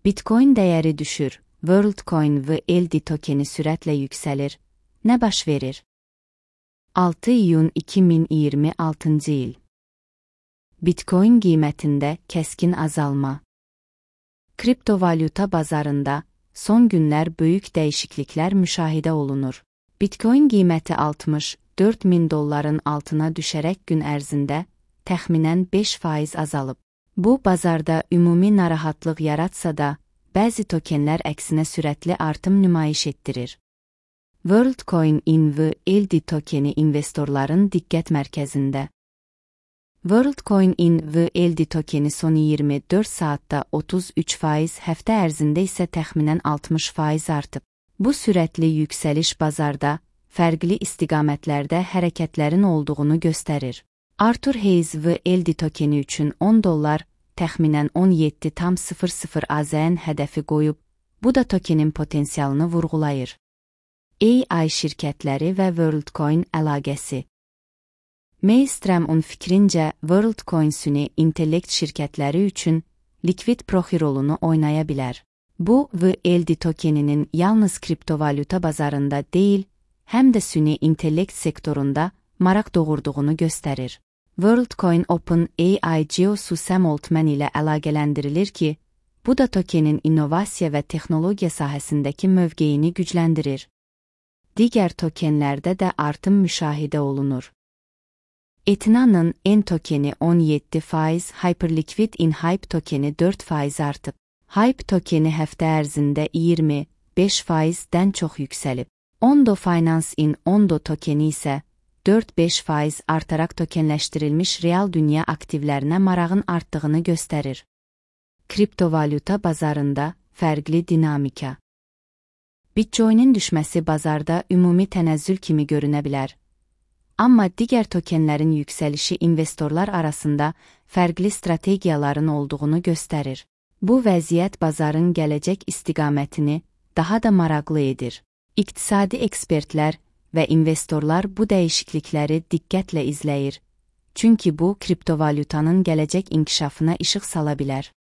Bitcoin dəyəri düşür, WorldCoin VLD tokeni sürətlə yüksəlir. Nə baş verir? 6 iyun 2026 il. Bitcoin qiymətində kəskin azalma. Kriptovalyuta bazarında son günlər böyük dəyişikliklər müşahidə olunur. Bitcoin qiyməti $64.000 altına düşərək gün ərzində təxminən 5% azalıb. Bu, bazarda ümumi narahatlıq yaratsa da, bəzi tokenlər əksinə sürətli artım nümayiş etdirir. WorldCoin VLD tokeni investorların diqqət mərkəzində. WorldCoin VLD tokeni son 24 saatda 33%, həftə ərzində isə təxminən 60% artıb. Bu sürətli yüksəliş bazarda fərqli istiqamətlərdə hərəkətlərin olduğunu göstərir. Arthur Hayes VLD tokeni üçün $10, təxminən 17,00 AZN hədəfi qoyub, bu da tokenin potensialını vurğulayır. AI şirkətləri və WorldCoin əlaqəsi. Maelstrom'un fikrincə, WorldCoin süni intellekt şirkətləri üçün likvid proxy rolunu oynaya bilər. Bu, VLD tokeninin yalnız kriptovalyuta bazarında deyil, həm də süni intellekt sektorunda maraq doğurduğunu göstərir. WorldCoin OpenAI CEO-su Sam Altman ilə əlaqələndirilir ki, bu da tokenin innovasiya və texnologiya sahəsindəki mövqeyini gücləndirir. Digər tokenlərdə də artım müşahidə olunur. Ethna'nın N tokeni 17%, Hyperliquid Inhype tokeni 4% artıb. Hype tokeni həftə ərzində 25%-dən çox yüksəlib. Ondo Finance Ondo tokeni isə 4-5% artaraq tokenləşdirilmiş real dünya aktivlərinə marağın artdığını göstərir. Kriptovalyuta bazarında fərqli dinamika. Bitcoin'in düşməsi bazarda ümumi tənəzzül kimi görünə bilər. Amma digər tokenlərin yüksəlişi investorlar arasında fərqli strategiyaların olduğunu göstərir. Bu vəziyyət bazarın gələcək istiqamətini daha da maraqlı edir. İqtisadi ekspertlər və investorlar bu dəyişiklikləri diqqətlə izləyir, çünki bu kriptovalyutanın gələcək inkişafına işıq sala bilər.